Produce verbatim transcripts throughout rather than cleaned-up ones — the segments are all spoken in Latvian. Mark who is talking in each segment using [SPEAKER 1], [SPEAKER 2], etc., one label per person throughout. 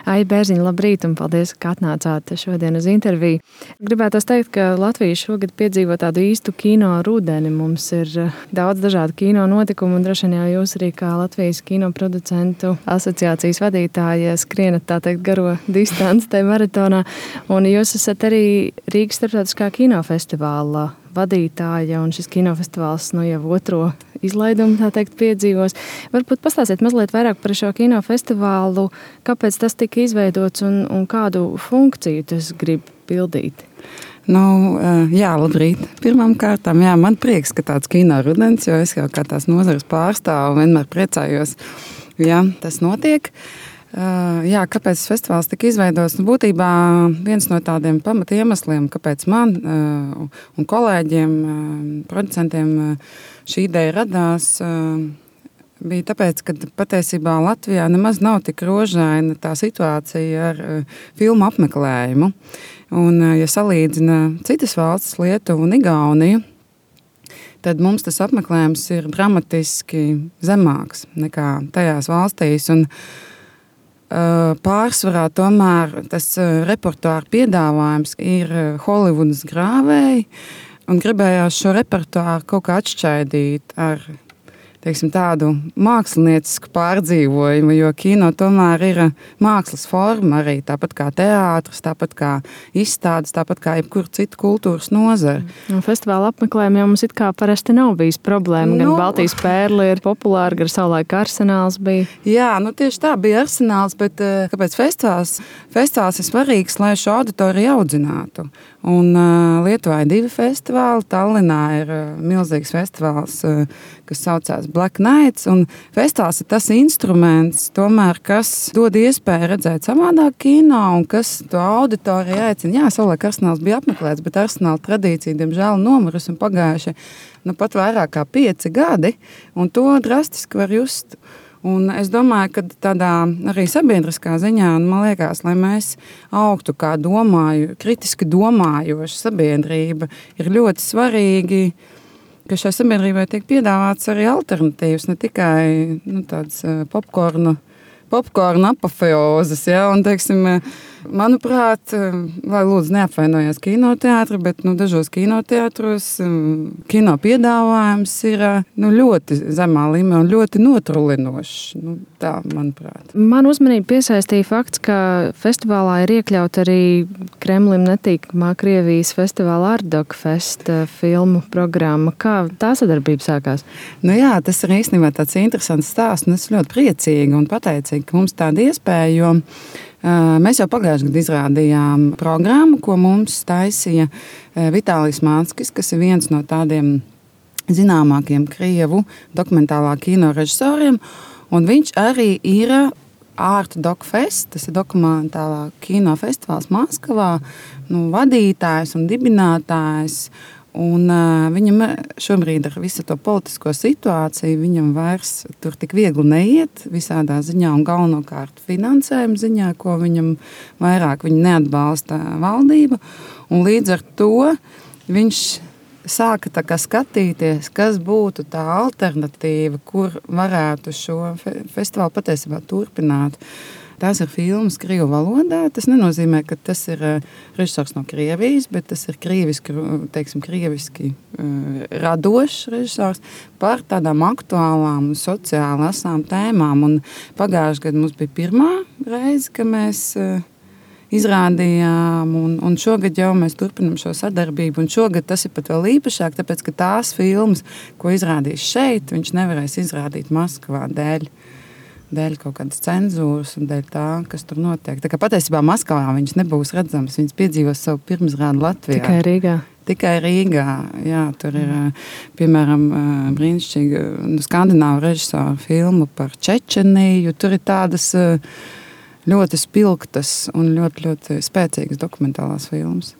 [SPEAKER 1] Aija Bērziņa, labrīt un paldies, ka atnācāt šodien uz interviju. Gribētu teikt, ka Latvija šogad piedzīvo tādu īstu kino rudeni. Mums ir daudz dažādu kino notikumu un droši vien jau jūs arī kā Latvijas kino producentu asociācijas vadītāja skrienat tā teikt garo distanci tajā maratonā. Un jūs esat arī Rīgas starptautiskā kinofestivāla vadītāja, un šis kinofestivāls nu jau otro izlaidumu, tā teikt, piedzīvos. Varbūt pastāstiet mazliet vairāk par šo kinofestivālu, kāpēc tas tika izveidots un, un kādu funkciju tas grib pildīt?
[SPEAKER 2] Nu, jā, labrīt. Pirmām kārtām, jā, man prieks, ka tāds kino rudens, jo es jau kā tās nozares pārstāvu vienmēr priecājos, ja tas notiek. Jā, kāpēc festivāls tika izveidots? Nu, būtībā viens no tādiem pamata iemesliem, kāpēc man un kolēģiem, producentiem šī ideja radās, bija tāpēc, ka patiesībā Latvijā nemaz nav tik rožaina tā situācija ar filmu apmeklējumu. Un, ja salīdzina citas valstis, Lietuvu un Igauniju, tad mums tas apmeklējums ir dramatiski zemāks nekā tajās valstīs. Un pārsvarā tomēr tas repertuāra piedāvājums ir Holivudas grāvēji, un gribējās šo repertuāru kaut kā atšķaidīt ar teiksim, tādu māksliniecisku pārdzīvojumu, jo kino tomēr ir mākslas forma arī, tāpat kā teātris, tāpat kā izstādes, tāpat kā jebkur citu kultūras nozara.
[SPEAKER 1] Un festivāla apmeklējumi jau mums it kā parasti nav bijis problēma, gan nu, Baltijas pērle ir populāra, gan savulaik Arsenāls bija.
[SPEAKER 2] Jā, nu tieši tā bija Arsenāls, bet kāpēc festivāls? Festivāls ir svarīgs, lai šo auditoriju audzinātu. Un uh, Lietuvā ir divi festivāli, Tallinā ir uh, milzīgs festivāls, uh, kas saucās Black Nights, un festivāls ir tas instruments, tomēr, kas dod iespēju redzēt savādāk kino, un kas to auditoriju aicina. Jā, savulaik Arsenāls bija apmeklēts, bet Arsenāla tradīcija, diemžēl, nomirus un pagājuši nu, pat vairāk kā pieci gadi, un to drastiski var just. Un es domāju, ka tādā arī sabiedriskā ziņā, man liekas, lai mēs augtu kā domāju, kritiski domājoša sabiedrība, ir ļoti svarīgi, ka šai sabiedrībai tiek piedāvāts arī alternatīvas, ne tikai nu, tāds popkornu, popkornu apofeozes, ja, un, teiksim, manuprāt, lai lūdzu neapvainojās kinoteātri, bet nu, dažos kinoteātros kino piedāvājums ir nu, ļoti zemā līmenī un ļoti notrulinošs. Nu, tā, manuprāt.
[SPEAKER 1] Man uzmanību piesaistīja fakts, ka festivālā ir iekļaut arī Kremlim netīkamā Krievijas festivāla Ardokfest filmu programma. Kā tā sadarbība sākās?
[SPEAKER 2] Nu jā, tas ir īstenībā tāds interesants stāsts, un es ļoti priecīga un pateicīga, ka mums tāda iespēja, jo mēs jau pagājušajā gadā izrādījām programmu, ko mums taisīja Vitālijs Māckis, kas ir viens no tādiem zināmākiem Krievu dokumentālā kino režisoriem, un viņš arī ir Art Doc Fest, tas ir dokumentālā kino festivāls Maskavā, nu, vadītājs un dibinātājs. Un, uh, viņam šobrīd ar visu to politisko situāciju viņam vairs tur tik viegli neiet visādā ziņā un galvenokārt finansējuma ziņā, ko viņam vairāk viņa neatbalsta valdība. Un līdz ar to viņš sāka tā kā skatīties, kas būtu tā alternatīva, kur varētu šo fe- festivālu patiesībā turpināt. Tās ir filmas krievu valodā. Tas nenozīmē, ka tas ir režisors no Krievijas, bet tas ir krieviski, teiksim, krieviski uh, radošs režisors par tādām aktuālām sociāli asām tēmām. Un pagājušajā gadā mums bija pirmā reize, ka mēs uh, izrādījām, un, un šogad jau mēs turpinam šo sadarbību. Un šogad tas ir pat vēl īpašāk, tāpēc, ka tās filmas, ko izrādīs šeit, viņš nevarēs izrādīt Maskavā dēļ. dēļ kaut kādas cenzūras un dēļ tā, kas tur notiek. Tā kā patiesībā Maskavā viņš nebūs redzams, viņš piedzīvos savu pirmizrādi Latvijā.
[SPEAKER 1] Tikai Rīgā.
[SPEAKER 2] Tikai Rīgā, jā, tur ir, piemēram, brīnišķīga nu, skandināvu režisoru filmu par Čečeniju. Tur ir tādas ļoti spilgtas un ļoti, ļoti spēcīgas dokumentālās filmas.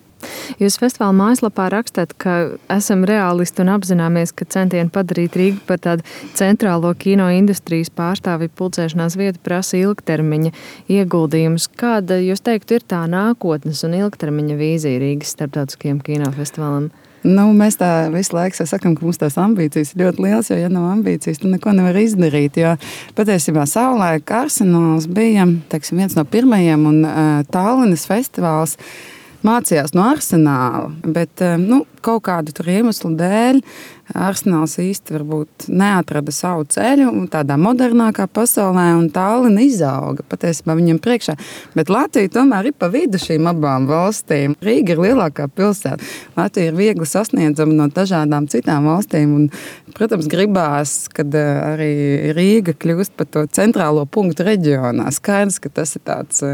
[SPEAKER 1] Jūs festivāla mājaslapā rakstāt, ka esam reālisti un apzināmies, ka centieni padarīt Rīgu par tādu centrālo kino industrijas pārstāvju pulcēšanās vietu prasa ilgtermiņa ieguldījumus. Kāda, jūs teiktu, ir tā nākotnes un ilgtermiņa vīzija Rīgas starptautiskajam kinofestivālam?
[SPEAKER 2] Nu, mēs tā visu laiku sakām, ka mums tās ambīcijas ir ļoti liels, jo, ja nav ambīcijas, tad neko nevar izdarīt. Jo patiesībā savulaik Arsenāls bija teiksim, viens no pirmajiem un uh, Tallinas festivāls mācījās no Arsenāla, bet nu, kaut kādu tur iemeslu dēļ Arsenāls īsti varbūt neatrada savu ceļu tādā modernākā pasaulē, un Tallina izauga patiesībā viņam priekšā. Bet Latvija tomēr ir pa vidu šīm abām valstīm. Rīga ir lielākā pilsēta. Latvija ir viegli sasniedzama no dažādām citām valstīm, un, protams, gribās, kad arī Rīga kļūst par to centrālo punktu reģionā. Skaidrs, ka tas ir tāds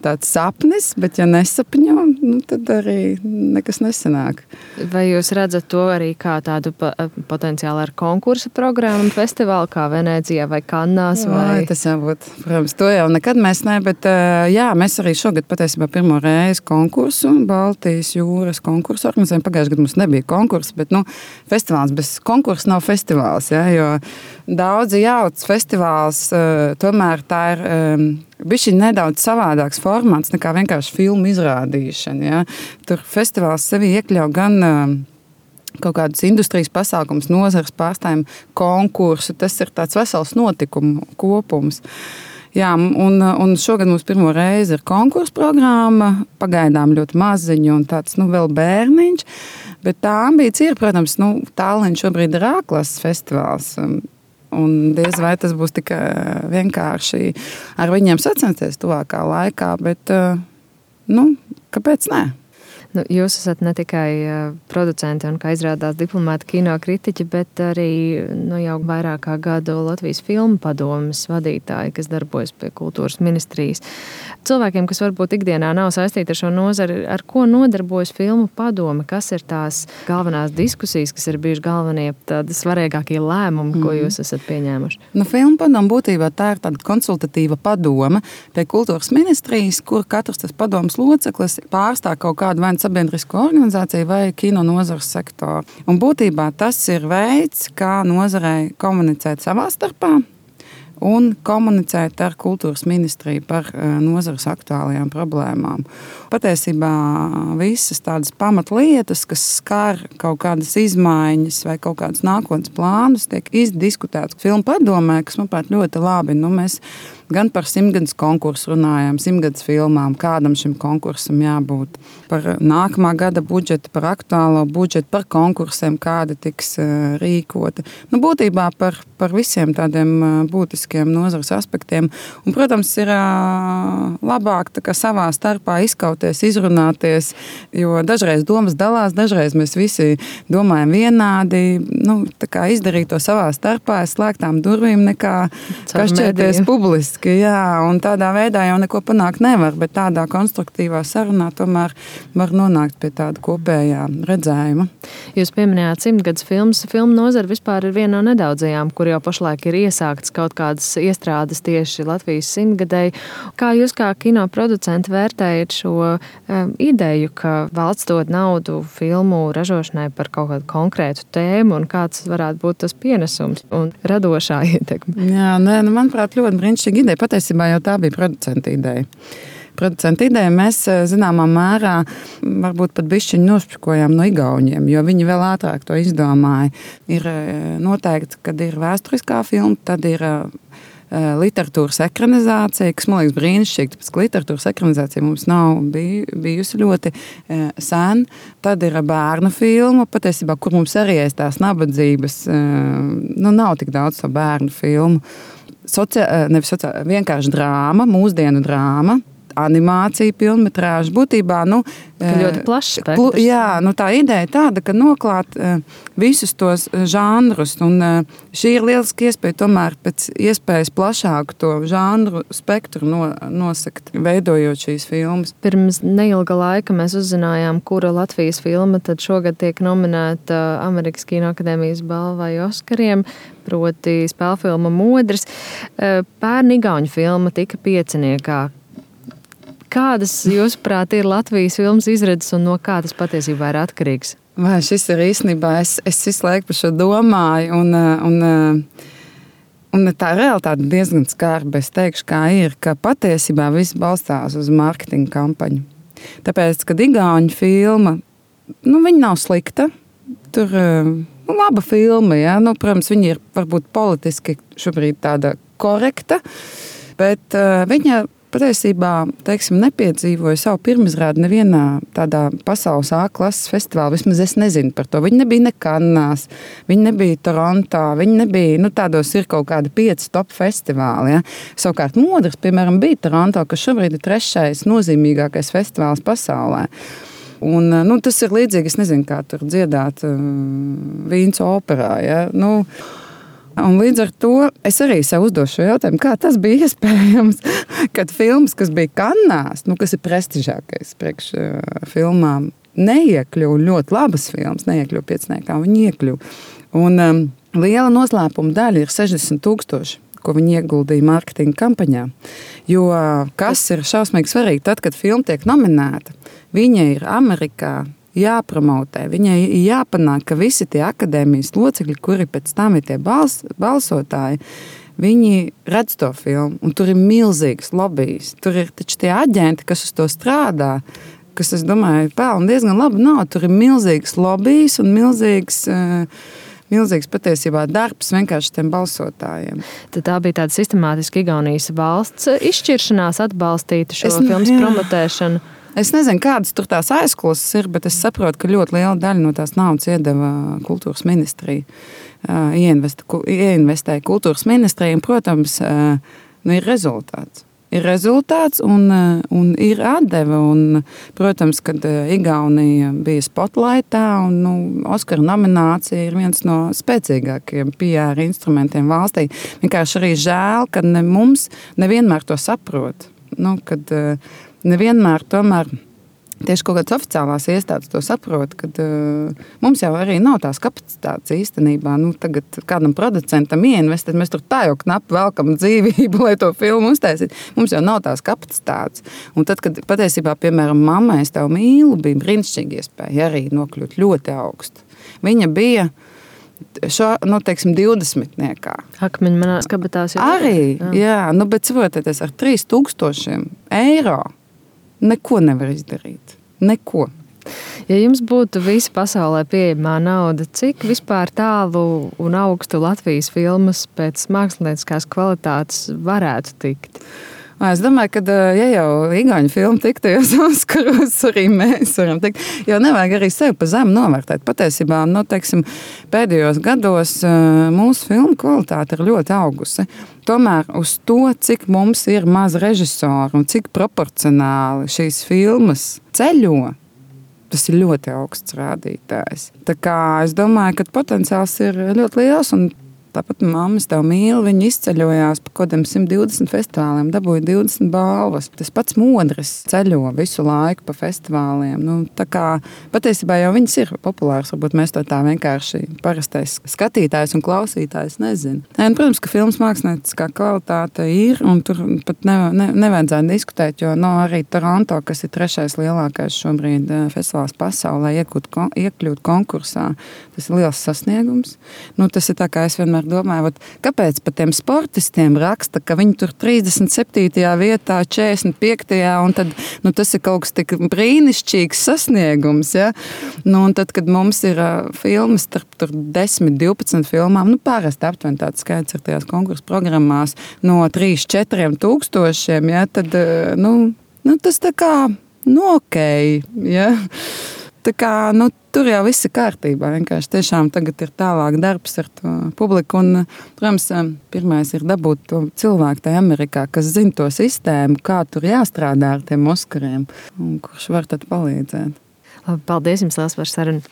[SPEAKER 2] tāds sapnis, bet ja nesapņo, nu, tad arī nekas nesanāk.
[SPEAKER 1] Vai jūs redzat to arī kā tādu potenciāli ar konkursa programmu un festivālu, kā Venēcijā vai Kannās? Vai...
[SPEAKER 2] Vai, tas jau būtu, protams, to jau nekad mēs ne, bet jā, mēs arī šogad patiesībā pirmo reizi konkursu, Baltijas jūras konkursu organizējam. Pagājušajā gadā mums nebija konkursa, bet, nu, festivāls bez konkursa nav festivāls, ja, jo daudzi jauc festivāls, tomēr tā ir bišķi nedaudz savādāks formāts nekā vienkārši filmu izrādīšana. Ja? Tur festivāls sevi iekļauj gan uh, kaut kādus industrijas pasākums, nozares pārstājumu konkursu. Tas ir tāds vesels notikumu kopums. Jā, un, un šogad mums pirmo reizi ir konkursu programma, pagaidām ļoti maziņu un tāds, nu, vēl bērniņš. Bet tā ambīcija ir, protams, nu, Tallinn šobrīd ir ārklases festivāls. Un diez vai tas būs tik vienkārši ar viņiem sacensties tuvākā laikā, bet, nu, kāpēc ne?
[SPEAKER 1] Nu, jūs esat ne tikai producenti un, kā izrādās, diplomāti kino kritiķi, bet arī nu, jau vairāk kā gadu Latvijas filmu padomes vadītāji, kas darbojas pie kultūras ministrijas. Cilvēkiem, kas varbūt ikdienā nav saistīti ar šo nozari, ar ko nodarbojas filmu padome? Kas ir tās galvenās diskusijas, kas ir bijuši galvenie tādi svarīgākie lēmumi, ko jūs esat pieņēmuši?
[SPEAKER 2] Nu, filmu padome būtībā tā ir tāda konsultatīva padome pie kultūras ministrijas, kur katrs tas padomes loceklis pārstāv kaut kādu vai sabiedrisko organizāciju vai kino nozares sektoru. Un būtībā tas ir veids, kā nozarei komunicēt savā starpā un komunicēt ar kultūras ministriju par nozares aktuālajām problēmām. Patiesībā visas tādas pamatlietas, kas skar kaut kādas izmaiņas vai kaut kādas nākotnes plānus, tiek izdiskutētas filmu padomē, kas, manuprāt, ļoti labi. Nu, mēs gan par simtgadus konkursu runājām, simtgadus filmām, kādam šim konkursam jābūt, par nākamā gada budžetu, par aktuālo budžetu, par konkursiem, kādi tiks uh, rīkoti. Nu, būtībā par, par visiem tādiem uh, būtiskiem nozares aspektiem. Un, protams, ir uh, labāk tā kā savā starpā izkauties, izrunāties, jo dažreiz domas dalās, dažreiz mēs visi domājam vienādi, nu, tā kā izdarīt to savā starpā, slēgtām durvīm, nekā kašķēties publiski. Jā, un tādā veidā jau neko panākt nevar, bet tādā konstruktīvā sarunā tomēr var nonākt pie tāda kopējā redzējuma.
[SPEAKER 1] Jūs pieminējāt simtgadus filmas. Filmu nozara vispār ir viena no nedaudzajām, kur jau pašlaik ir iesāktas kaut kādas iestrādes tieši Latvijas simtgadēji. Kā jūs kā kino producenti vērtējat šo um, ideju, ka valsts dod naudu filmu ražošanai par kaut kādu konkrētu tēmu un kāds varētu būt tas pienesums un radošā ietekme?
[SPEAKER 2] Jā, nē, nu, manuprāt, ļoti brīnišķīgi ideja. Patiesībā jau tā bija producenta ideja. Producenta ideja mēs zināmā mērā varbūt pat bišķiņu nošpikojām no igauņiem, jo viņi vēl ātrāk to izdomāja. Ir noteikti, kad ir vēsturiskā filma, tad ir literatūras ekranizācija, kas man liekas brīnišķīgi, tāpēc, ka literatūras ekranizācija mums nav bijusi ļoti sen. Tad ir bērnu filma, patiesībā, kur mums arī aiz tās nabadzības, nu, nav tik daudz to bērnu filmu. Socia, nevis sociā, vienkārši drāma, mūsdienu drāma, animācija, filmetrāža. Būtībā, nu,
[SPEAKER 1] ļoti plašs spektrs.
[SPEAKER 2] Jā, nu, tā ideja tāda, ka noklāt visus tos žanrus, un šī ir lieliski iespēja tomēr pēc iespējas plašāku to žanru spektru no, nosakt, veidojot šīs filmas.
[SPEAKER 1] Pirms neilga laika mēs uzzinājām, kura Latvijas filma tad šogad tiek nominēta Amerikas Kinoakadēmijas balvai Oskariem, proti spēlfilma Modris. Pērn igauņu filma tika pieciniekā. Kādas, jūsuprāt, ir Latvijas filmas izredzes un no kā tas patiesībā ir atkarīgs?
[SPEAKER 2] Vai šis ir īstenībā, es, es visu laiku par šo domāju, un, un, un tā realitāte diezgan skarba. Es teikšu, kā ir, ka patiesībā viss balstās uz marketinga kampaņu. Tāpēc, kad igauņu filma nu, viņa nav slikta. Tur nu, laba filma, ja? Nu, protams, viņa ir varbūt politiski šobrīd tāda korekta, bet uh, viņa patiesībā, teiksim, nepiedzīvoja savu pirmizrādi nevienā tādā pasaules A klases festivālā. Vismaz es nezinu par to. Viņa nebija ne Kannās, viņa nebija Torontā, viņa nebija, nu, tādos ir kaut kādi pieci top festivāli, ja? Savukārt Modrs, piemēram, bija Toronto, kas šobrīd ir trešais nozīmīgākais festivāls pasaulē. Un, nu, tas ir līdzīgi, es nezinu, kā tur dziedāt uh, Vīns operā, ja? Nu, un līdz ar to es arī sev uzdošu šo jautājumu, kā tas bija iespējams, kad filmas, kas bija Kannās, nu, kas ir prestižākais priekš uh, filmām, neiekļuva ļoti labas filmas, neiekļuva pieciniekā, viņi iekļuva. Un um, liela noslēpuma daļa ir sešdesmit tūkstoši, ko viņi ieguldīja mārketinga kampaņā. Jo kas ir šausmīgi svarīgi, tad, kad filma tiek nominēta, viņa ir Amerikā jāpromotē, viņai ir jāpanāk, ka visi tie akadēmijas locekļi, kuri pēc tam ir tie bals, balsotāji, viņi redz to filmu, un tur ir milzīgs lobijs. Tur ir taču tie aģenti, kas uz to strādā, kas, es domāju, pelna diezgan labu naudu. Tur ir milzīgs lobijs un milzīgs... Uh, Milzīgs patiesībā darbs vienkārši tiem balsotājiem.
[SPEAKER 1] Tad tā bija tāda sistemātiska Igaunijas valsts izšķiršanās atbalstīt šo
[SPEAKER 2] es,
[SPEAKER 1] filmas
[SPEAKER 2] jā.
[SPEAKER 1] promotēšanu.
[SPEAKER 2] Es nezinu, kādas tur tās aizklases ir, bet es saprotu, ka ļoti liela daļa no tās naudas iedeva kultūras ministrija. Ieinvestēja kultūras ministrija, un, protams, nu, ir rezultāts. Ir rezultāts un, un ir atdeve. Un, protams, kad Igaunija bija spotlightā un nu, Oskara nominācija ir viens no spēcīgākajiem P R instrumentiem valstī. Vienkārši arī žēl, ka ne mums nevienmēr to saprot. Nu, kad nevienmēr tomēr tieši kaut kādas oficiālās iestādes to saprot, kad uh, mums jau arī nav tās kapacitātes īstenībā. Nu, tagad kādam producentam ieinvestēt, mēs tur tā jau knapi velkam dzīvību, lai to filmu uztaisītu. Mums jau nav tās kapacitātes. Un tad, kad patiesībā, piemēram, Mamma, es tev mīlu, bija brīnišķīgi iespēja arī nokļūt ļoti augstu. Viņa bija šo, nu, teiksim, divdesmitniekā.
[SPEAKER 1] Akmeņi manā skabatās jau.
[SPEAKER 2] Arī, jā, jā nu, bet saprotieties, ar trīs tūkstošiem eiro neko nevar izdarīt. Neko.
[SPEAKER 1] Ja jums būtu visa pasaulē pieejamā nauda, cik vispār tālu un augstu Latvijas filmas pēc mākslinieckās kvalitātes varētu tikt?
[SPEAKER 2] Es domāju, ka, ja jau igauņu filmu tiktajos Oskaros, arī mēs varam tikt, jo nevajag arī sevi pa zemu novērtēt. Patiesībā, nu, teiksim, pēdējos gados mūsu filmu kvalitāte ir ļoti augusi. Tomēr uz to, cik mums ir maz režisoru un cik proporcionāli šīs filmas ceļo, tas ir ļoti augsts rādītājs. Tā kā es domāju, ka potenciāls ir ļoti liels un tāpat Mamma, es tev mīlu, viņi izceļojās pa kodiem simt divdesmit festivāliem, dabūja divdesmit balvas. Tas pats Modris ceļo visu laiku pa festivāliem. Nu, tā kā patiesībā jau viņas ir populāras, varbūt mēs to tā vienkārši parastais skatītājs un klausītājs nezin. Nē, un, protams, ka filmas mākslinieckā kvalitāte ir, un tur pat ne, ne, nevajadzētu diskutēt, jo no arī Toronto, kas ir trešais lielākais šobrīd festivāls pasaulē, iekļūt, iekļūt konkursā, tas ir liels sasniegums. Nu, tas ir tā, kā es vienmēr domāju, vat, kāpēc pat tiem sportistiem raksta, ka viņi tur trīsdesmit septītajā vietā, četrdesmit piektajā un tad, nu, tas ir kaut kas tik brīnišķīgs sasniegums, ja? Nu, un tad, kad mums ir uh, filmas starp tur desmit, divpadsmit filmām, nu, parasti aptuveni tāds skaits ir tajās konkursu programmās no trīs, četriem tūkstošiem, ja? Tad, uh, nu, nu, tas tā kā, nu, okei, ja? Tā kā, nu, tur jau viss ir kārtībā. Vienkārši tiešām tagad ir tālāk darbs ar to publiku. Un, protams, pirmais ir dabūt to cilvēku tajā Amerikā, kas zina to sistēmu, kā tur jāstrādā ar tiem Oskariem un kurš var tad palīdzēt.
[SPEAKER 1] Labi, paldies jums liels par sarunu.